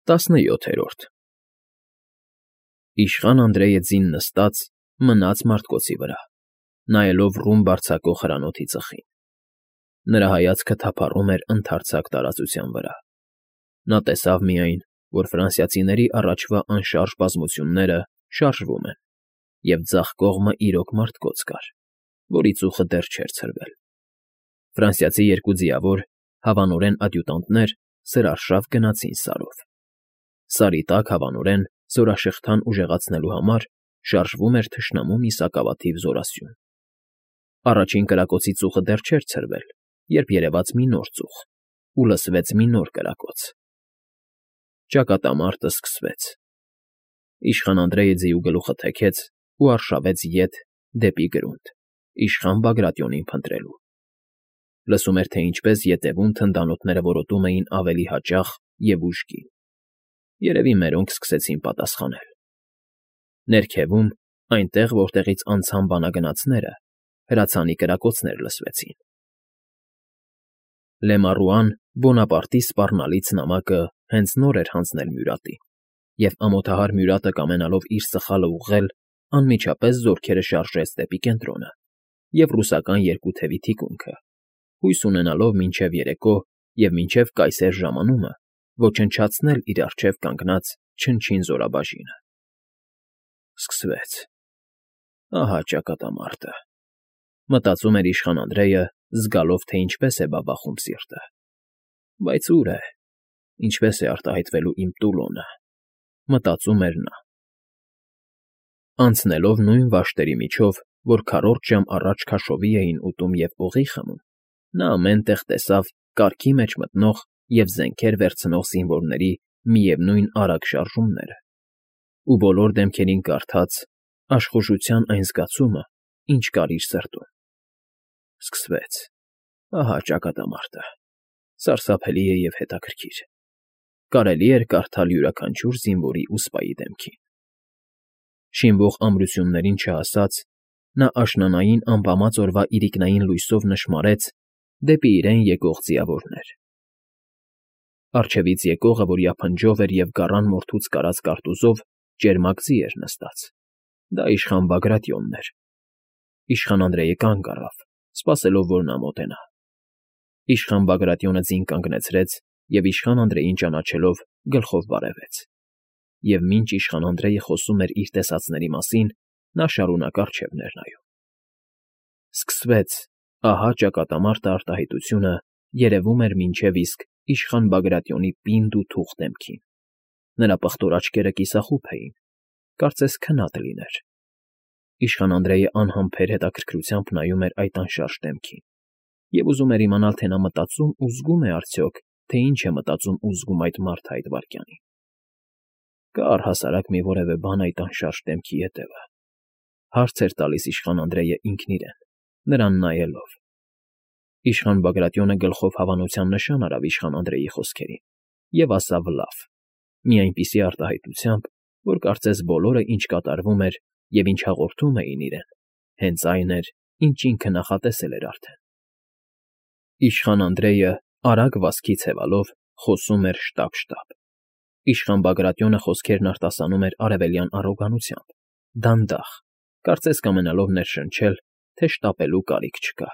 17-րդ Իշխան Անդրեյը ձին նստած մնաց մարտկոցի վրա, նայելով ռումբ արձակող հրանոթի ծխին. նրա հայացքը թափառում էր ընդարձակ տարածության վրա. նա տեսավ միայն, որ ֆրանսիացիների առաջվա անշարժ բազմությունները շարժվում են, և ձախ կողմը իրոք մարտկոց կար, որի ծուխը դեռ չէր ցրվել. ֆրանսիացի երկու ձիավոր, հավանորեն ադյուտանտներ սրարշավ գնացին Սարով. Սարի տակ, հավանորեն, զորաշղթան ուժեղացնելու համար շարժվում էր թշնամու մի սակավաթիվ զորասյուն. առաջին կրակոցի ծուխը դեռ չէր ցրվել, երբ երևաց մի նոր ծուխ, ու լսվեց մի նոր կրակոց. ճակատամարտն սկսվեց. Իշխան Անդրեյը ձիու գլուխը թեքեց ու արշավեց ետ դեպի գրունդ, իշխան Բագրատիոնին փնտրելու. լսում էր, թե ինչպես ետևում թնդանոթները որոտում էին ավելի հաճախ և ուժգին. երևի մերոնք սկսեցին պատասխանել. ներքևում, այնտեղ, որտեղից անցան բանագնացները, հրացանի կրակոցներ լսվեցին. Լեմառուան Բոնապարտի սպառնալից նամակը հենց նոր էր հանձնել Մյուրատին, և ամոթահար Մյուրատը, կամենալով իր սխալը ուղղել, անմիջապես զորքերը շարժեց դեպի կենտրոնը և ռուսական երկու թևի թիկունքը, հույս ունենալով մինչև երեկո և մինչև կայսեր ժամանումը ոչնչացնել իր առջև կանգնած չնչին զորաբաժինը. Սկսվեց. ահա ճակատամարտը, մտածում էր իշխան Անդրեյը, զգալով, թե ինչպես է բաբախում սիրտը. բայց ուր է, ինչպես է արտահայտվելու իմ Տուլոնը, մտածում էր նա. Անցնելով նույն վաշտերի միջով, որ քառորդ ժամ առաջ քաշովի էին ուտում և օղի խմում, նա ամեն տեղ տեսավ կարգի մեջ մտնող և զենքեր վերցնող զինվորների միևնույն արագ շարժումները, ու բոլոր դեմքերին կարդաց աշխուժության այն զգացումը, ինչ կար իր սրտում. Սկսվեց. ահա ճակատամարտը, սարսափելի է և հետաքրքիր. կարելի էր կարդալ յուրաքանչյուր զինվորի ու սպայի դեմքին. շինվող ամրություններին չհասած, նա աշնանային ամպամած օրվա իրիկնային լույսով նշմարեց դեպի իրեն եկող ձիավորներ. առջևից եկողը, որ յափնջով էր և գառան մորթուց կարած կարտուզով ճերմակ ձի էր նստած, դա իշխան Բագրատիոնն էր. իշխան Անդրեյը կանգ առավ, սպասելով, որ նա մոտենա. իշխան Բագրատիոնը ձին կանգնեցրեց և իշխան Անդրեյին ճանաչելով գլխով բարևեց, և մինչ իշխան Անդրեյը խոսում էր իր տեսածների մասին, նա շարունակ առջև ներնայում. Սկսվեց, ահա ճակատամարտը արտահայտությունը երևում էր մինչև իսկ իշխան Բագրատիոնի պինդ ու թուխ դեմքին. նրա պղտոր աչքերը կիսախուփ էին, կարծես քնած լիներ. իշխան Անդրեյը անհամբեր հետաքրքրությամբ նայում էր այդ անշարժ դեմքին և ուզում էր իմանալ, թե նա մտածում ու զգում է արդյոք, թե ինչ է մտածում ու զգում այդ մարդը այդ վայրկյանին. կա՞ առհասարակ մի որևէ բան այդ անշարժ դեմքի ետևը, հարց էր տալիս իշխան Անդրեյը ինքն իրեն, նրան նայելով. Իշխան Բագրատիոնը գլխով հավանության նշան արավ իշխան Անդրեյի խոսքերին և ասավ լավ, մի այնպիսի արտահայտությամբ, որ կարծես բոլորը, ինչ կատարվում էր և ինչ հաղորդում էին իրեն, հենց այն էր, ինչ ինքը նախատեսել էր արդեն. Իշխան Անդրեյը, արագ վազքի ցևալով, խոսում էր շտապ֊շտապ. իշխան Բագրատիոնը խոսքերն արտասանում էր արևելյան առոգանությամբ, դանդաղ, կարծես կամենալով ներշնչել, թե շտապելու կարիք չկա.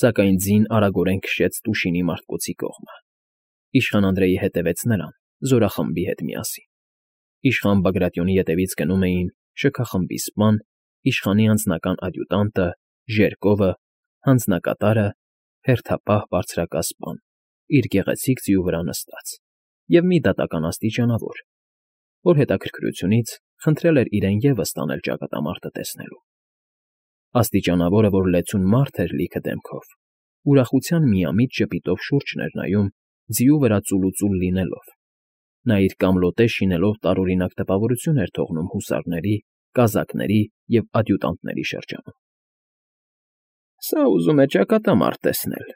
Սակայն ձին արագորեն քշեց Տուշինի մարտկոցի կողմը. իշխան Անդրեյը հետևեց նրան, զորախմբի հետ միասին. իշխան Բագրատիոնի ետևից գնում էին շքախմբի սպան, իշխանի անձնական ադյուտանտը, Ժերկովը, հանձնակատարը, հերթապահ բարձրակալսպան, իր գեղեցիկ ձիու վրա նստած, և մի դատական աստիճանավոր, որ հետաքրքրությունից խնդրել էր իրեն ևս տանել ճակատամարտը տեսնելու. Աստիճանավորը, որ լեցուն մարդ էր լիքը դեմքով, ուրախության միամիտ ժպիտով շուրջն էր նայում, ձիու վրա ծուլուծուլ լինելով. նա իր կամլոտե շինելով տարօրինակ տպավորություն էր թողնում հուսարների, կազակների և ադյուտանտների շրջանում։ Սա ուզում է ճակատամարտ տեսնել,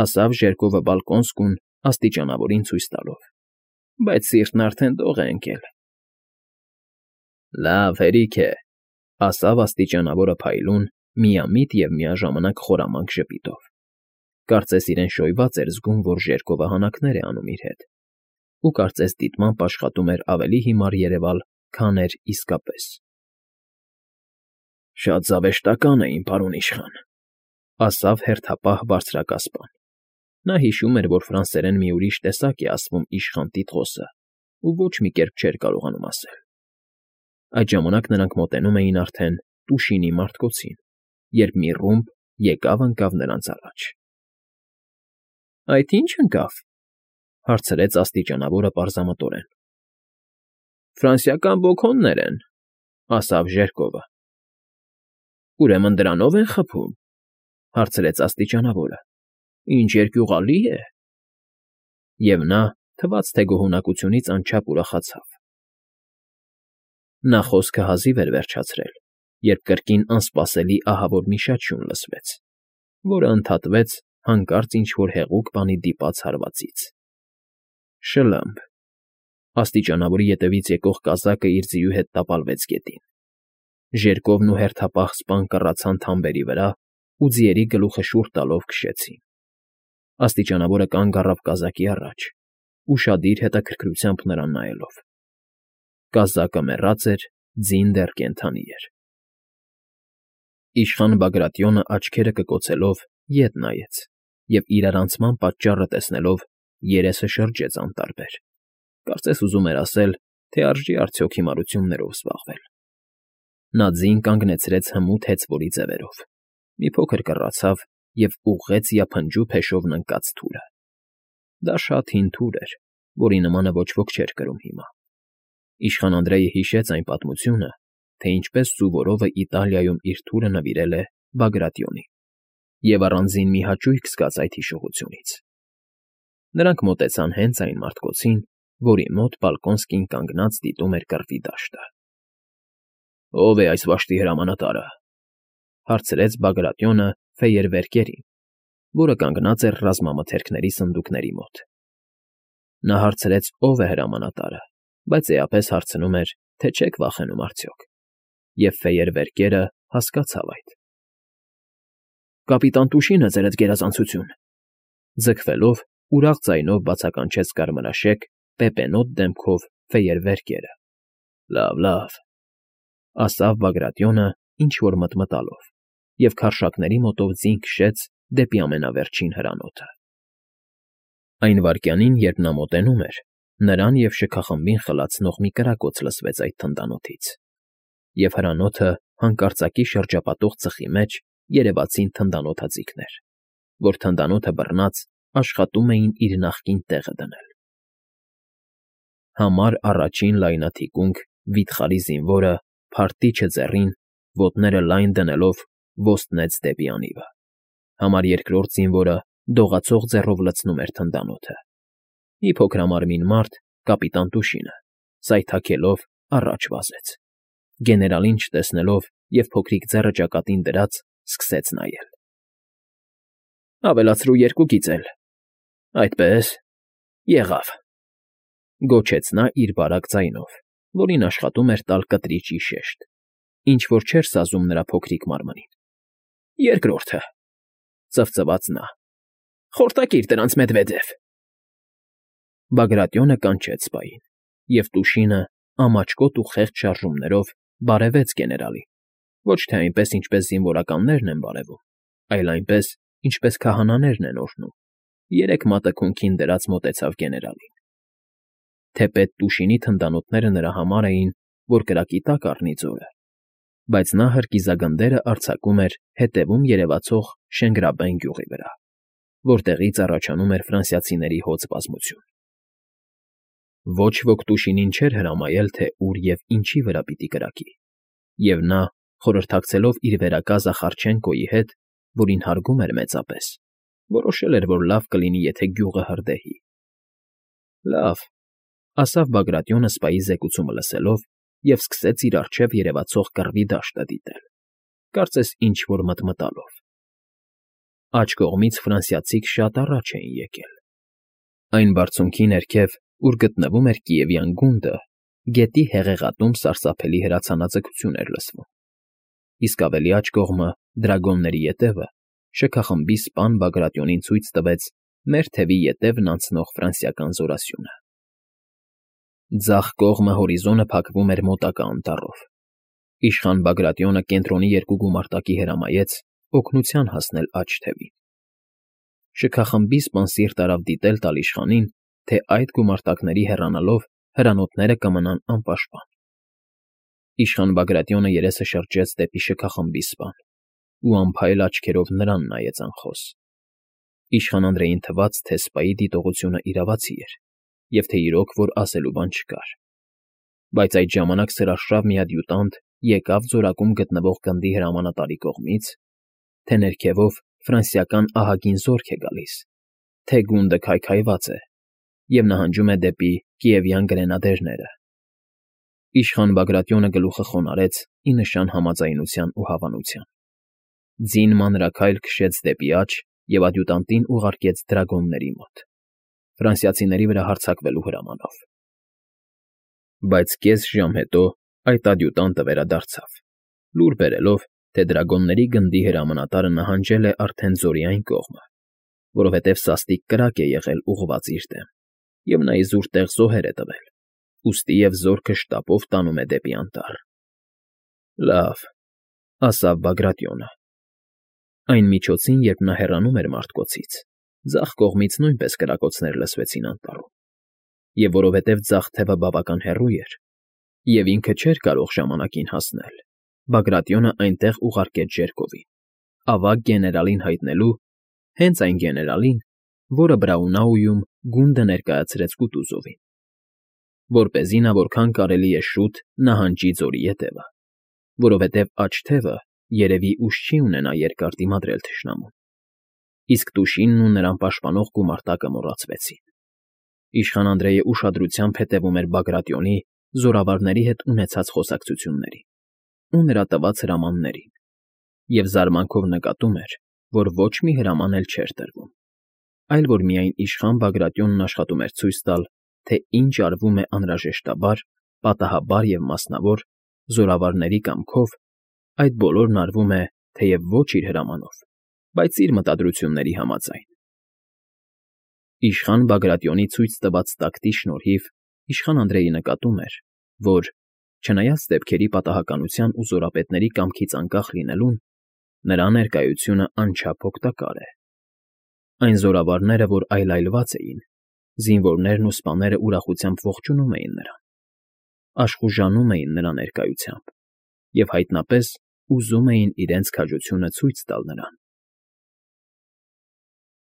ասավ Ժերկովը բալկոնսկուն աստիճանավորին ցույց տալով, բայց սիրտն արդեն դող է ընկել։ Լավ, հերիք է, ասավ աստիճանավորը փայլուն, միամիտ և միաժամանակ խորամանկ ժպիտով. կարծես իրեն շոյված էր զգում, որ Ժերկովը հանակներ է անում իր հետ, ու կարծես դիտմամբ աշխատում էր ավելի հիմար երևալ, քան էր իսկապես։ Շատ զավեշտական էին, պարոն իշխան, ասավ հերթապահ բարձրակասպան։ Նա հիշում էր, որ ֆրանսերեն մի ուրիշ տեսակ է ասվում իշխան տիտղոսը ու ոչ մի կերպ չէր կարողանում ասել։ Այդ ժամանակ նրանք մոտենում էին արդեն Տուշինի մարտկոցին, երբ մի ռումբ եկավ նրանց առաջ։ Այդ ի՞նչ ընկավ,֊ հարցրեց աստիճանավորը պարզամտորեն։ Ֆրանսիական բոքոններ են,֊ ասավ Ժերկովը։ Ուրեմն դրանով են խփում,֊ հարցրեց աստիճանավորը։ Ինչ երկյուղալի է… Եվ նա, թվաց թե գոհունակությունից անչափ ուրախացավ։ Նա խոսքը հազիվ էր վերջացրել, երբ կրկին անսպասելի ահավոր մի շաչյուն լսվեց, որը ընդհատվեց հանկարծ ինչ֊որ հեղուկ բանի դիպած հարվածից։ Շլըմփ… Աստիճանավորի ետևից եկող կազակը իր ձիու հետ տապալվեց գետին։ Ժերկովն ու հերթապահ սպան կռացան թամբերի վրա ու ձիերի գլուխը շուռ տալով քշեցին։ Աստիճանավորը կանգ առավ կազակի առաջ, ուշադիր հետաքրքրությամբ նրան նայելով։ Կազակը մեռած էր, ձին դեռ կենդանի էր։ Իշխան Բագրատիոնը աչքերը կկոցելով ետ նայեց և իրարանցման պատճառը տեսնելով երեսը շրջեց անտարբեր, կարծես ուզում էր ասել, թե արժի արդյոք հիմարություններով զբաղվել։ Նա ձին կանգնեցրեց հմուտ հեծվորի ձևերով, մի փոքր կռացավ և ուղղեց յափնջու փեշով ննկած թուրը։ Դա շատ հին թուր էր, որի նմանը ոչ ոք չէր կրում հիմա։ Իշխան Անդրեյը հիշեց այն պատմությունը, թե ինչպես Սուվորովը Իտալիայում իր թուրը նվիրել է Բագրատիոնին, և առանձին մի հաճույք զգաց այդ հիշողությունից։ Նրանք մոտեցան հենց այն մարտկոցին, որի մոտ Բալկոնսկին կանգնած դիտում էր կռվի դաշտը։ Ո՞վ է այս վշտի հրամանատարը,֊ հարցրեց Բագրատիոնը ֆեյերվերկերին, որը կանգնած էր ռազմամթերքների սնդուկների մոտ։ Նա հարցրեց ով է հրամանատարը, բայց էապես հարցնում էր, թե չեք վախենում արդյոք, և ֆեյերվերկերը հասկացավ այդ։ Կապիտան Տուշինը, ձերդ գերազանցություն,֊ ձգվելով ուրախ ձայնով բացականչեց կարմրաշեկ, պեպենոտ դեմքով ֆեյերվերկերը։ Լավ, լավ,֊ ասավ Բագրատիոնը ինչ֊որ մտմտալով և քարշակների մոտով ձին քշեց դեպի ամենավերջին հրանոթը։ Այն վայրկյանին, երբ նա մոտենում էր, նրան և շքախմբին խլացնող մի կրակոց լսվեց այդ թնդանոթից, և հրանոթը հանկարծակի շրջապատող ծխի մեջ երևացին թնդանոթաձիգներ, որ թնդանոթը բռնած աշխատում էին իր նախկին տեղը դնել։ Համար առաջին լայնաթիկունք վիթխարի զինվորը, փարտիչը ձեռին, ոտները լայն դնելով ոստնեց դեպի անիվը։ Համար երկրորդ զինվորը դողացող ձեռով լցնում էր թնդանոթը։ Մի փոքրամարմին մարդ, կապիտան Տուշինը, սայթաքելով առաջ վազեց։ Գեներալին չտեսնելով և փոքրիկ ձեռը ճակատին դրած, սկսեց նայել։ Ավելացրու երկու գիծ էլ… Այդպես… Եղավ,֊ գոչեց նա իր բարակ ձայնով, որին աշխատում էր տալ կտրիճի շեշտ, ինչ֊որ չէր սազում նրա փոքրիկ մարմնին։ Երկրորդը,֊ ծվծվաց նա,֊ խորտակիր դրանց, Մեդվեդև… Բագրատիոնը կանչեց սպային, և Տուշինը ամաչկոտ ու խեղճ շարժումներով բարևեց գեներալին, ոչ թե այնպես, ինչպես զինվորականներն են բարևում, այլ այնպես, ինչպես քահանաներն են օրհնում, երեք մատը քունքին դրած մոտեցավ գեներալին։ Թեպետ Տուշինի թնդանոթները նրա համար էին, որ կրակի տակ առնի ձորը, բայց նա հրկիզագնդերը արձակում էր հետևում երևացող Շենգրաբեն գյուղի վրա, որտեղից առաջանում էր ֆրանսիացիների հոծ բազմություն։ Ոչ ոք Տուշինին չէր հրամայել, թե ուր և ինչի վրա պիտի կրակի, և նա, խորհրդակցելով իր վերակա Զախարչենկոյի հետ, որին հարգում էր մեծապես, որոշել էր, որ լավ կլինի, եթե գյուղը հրդեհի։ Լավ,֊ ասավ Բագրատիոնը սպայի զեկուցումը լսելով և սկսեց իր առջև երևացող կռվի դաշտը դիտել, կարծես ինչ֊որ մտմտալով։ Աջ կողմից ֆրանսիացիք շատ առաջ էին եկել։ Այն բարձունքի ներքև, ուր գտնվում էր Կիևյան գունդը, գետի հեղեղատում սարսափելի հրացանաձգություն էր լսվում, իսկ ավելի աջ կողմը, դրագոնների ետևը, շքախմբի սպան Բագրատիոնին ցույց տվեց մեր թևի ետևն անցնող ֆրանսիական զորասյունը։ Ձախ կողմը հորիզոնը փակվում էր մոտակա անտառով։ Իշխան Բագրատիոնը կենտրոնի երկու գումարտակի հրամայեց օգնության հասնել աջ թևին։ Շքախմբի սպան սիրտ արավ դիտել տալ իշխանին, թե այդ գումարտակների հեռանալով հրանոթները կմնան անպաշտպան։ Իշխան Բագրատիոնը երեսը շրջեց դեպի շքախմբի սպան ու անփայլ աչքերով նրան նայեց անխոս։ Իշխան Անդրեին թվաց, թե սպայի դիտողությունը իրավացի էր, և թե իրոք որ ասելու բան չկար։ Բայց այդ ժամանակ սրաշավ մի ադյուտանտ եկավ ձորակում գտնվող գնդի հրամանատարի կողմից, թե ներքևով ֆրանսիական ահագին զորք է գալիս, թե գունդը քայքայված է և նահանջում է դեպի կիևյան գրենադերները։ Իշխան Բագրատիոնը գլուխը խոնարհեց ի նշան համաձայնության ու հավանության։ Ձին մանրաքայլ քշեց դեպի աջ և ադյուտանտին ուղարկեց դրագոնների մոտ, ֆրանսիացիների վրա հարձակվելու հրամանով։ Բայց կես ժամ հետո այդ ադյուտանտը վերադարձավ, լուր բերելով, թե դրագոնների գնդի հրամանատարը նահանջել է արդեն ձորի այն կողմը, որովհետև սաստիկ կրակ է եղել ուղղված իր դեմ, և նա իզուր տեղ զոհեր է տվել, ուստիև զորքը շտապով տանում է դեպի անտառ։ Լավ, ասավ Բագրատիոնը։ Այն միջոցին, երբ նա հեռանում էր մարդկոցից, ձախ կողմից նույնպես կրակոցներ լսվեցին անտառում, և որովհետև ձախ թևը բավական հեռու էր, և ինքը չէր կարող ժամանակին հասնել, Բագրատիոնը այնտեղ ուղարկեց Ժերկովին, ավագ գեներալին հայտնելու, հենց այն գեներալին, որը Բրաունաուում գունդը ներկայացրեց Կուտուզովին, որպեսզի նա որքան կարելի է շուտ նահանջի ձորի ետևը, որովհետև աջ թևը երևի ուժ չի ունենա երկար դիմադրել թշնամուն, իսկ Տուշինն ու նրան պաշտպանող գումարտակը մոռացվեցին։ Իշխան Անդրեյը ուշադրությամբ հետևում էր Բագրատիոնի զորավարների հետ ունեցած խոսակցություններին ու նրա տված հրամաններին և զարմանքով նկատում էր, որ ոչ մի հրաման էլ չէր տրվում, այլ որ միայն իշխան Բագրատիոնն աշխատում էր ցույց տալ, թե ինչ արվում է անհրաժեշտաբար, պատահաբար և մասնավոր, զորավարների կամքով, այդ բոլորն արվում է, թեև ոչ իր հրամանով, բայց իր մտադրությունների համաձայն։ Իշխան Բագրատիոնի ցույց տված տակտի շնորհիվ իշխան Անդրեյը նկատում էր, որ, չնայած դեպքերի պատահականության ու զորապետների կամքից անկախ լինելուն, նրա ներկայությունը անչափ օգտակար է։ Այն զորավարները, որ այլայլված էին, զինվորներն ու սպաները ուրախությամբ ողջունում էին նրան, աշխուժանում էին նրա ներկայությամբ և հայտնապես ուզում էին իրենց քաջությունը ցույց տալ նրան։